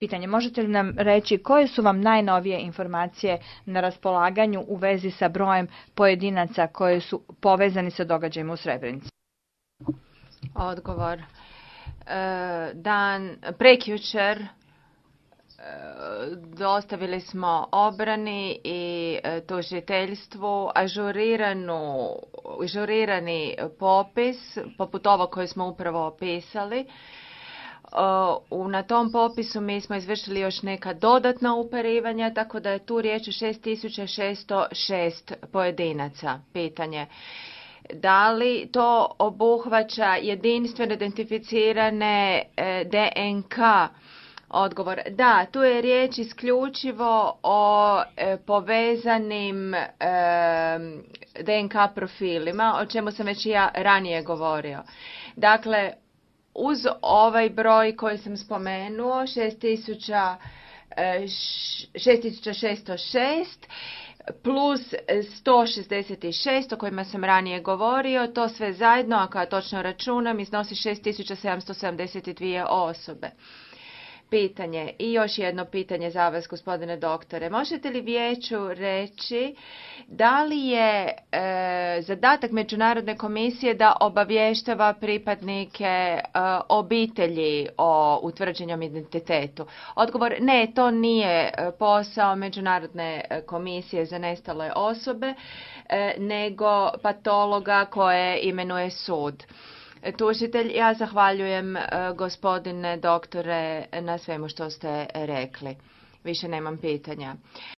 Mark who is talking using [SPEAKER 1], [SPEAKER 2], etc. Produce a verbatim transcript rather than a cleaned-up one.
[SPEAKER 1] Pitanje, možete li nam reći koje su vam najnovije informacije na raspolaganju u vezi sa brojem pojedinaca koji su povezani sa događajima u Srebrenici?
[SPEAKER 2] Odgovor. Dan prekjučer dostavili smo obrani i tužiteljstvu ažuriranu, ažurirani popis, poput ovog koji smo upravo opisali. Na tom popisu mi smo izvršili još neka dodatna uparivanja, tako da je tu riječ o šest tisuća šesto šest pojedinaca. Pitanje. Da li to obuhvaća jedinstveno identificirane D N K? Odgovor. Da, tu je riječ isključivo o povezanim D N K profilima, o čemu sam već ja ranije govorio. Dakle, uz ovaj broj koji sam spomenuo, šest tisuća šesto šest, plus sto šezdeset šest o kojima sam ranije govorio, to sve zajedno, ako ja točno računam, iznosi šest tisuća sedamsto sedamdeset dvije osobe. Pitanje i još jedno pitanje za vas, gospodine doktore. Možete li vijeću reći da li je e, zadatak Međunarodne komisije da obavještava pripadnike e, obitelji o utvrđenom identitetu? Odgovor, ne, to nije posao Međunarodne komisije za nestale osobe, e, nego patologa koje imenuje sud. Tužitelj, ja zahvaljujem gospodine doktore na svemu što ste rekli. Više nemam pitanja.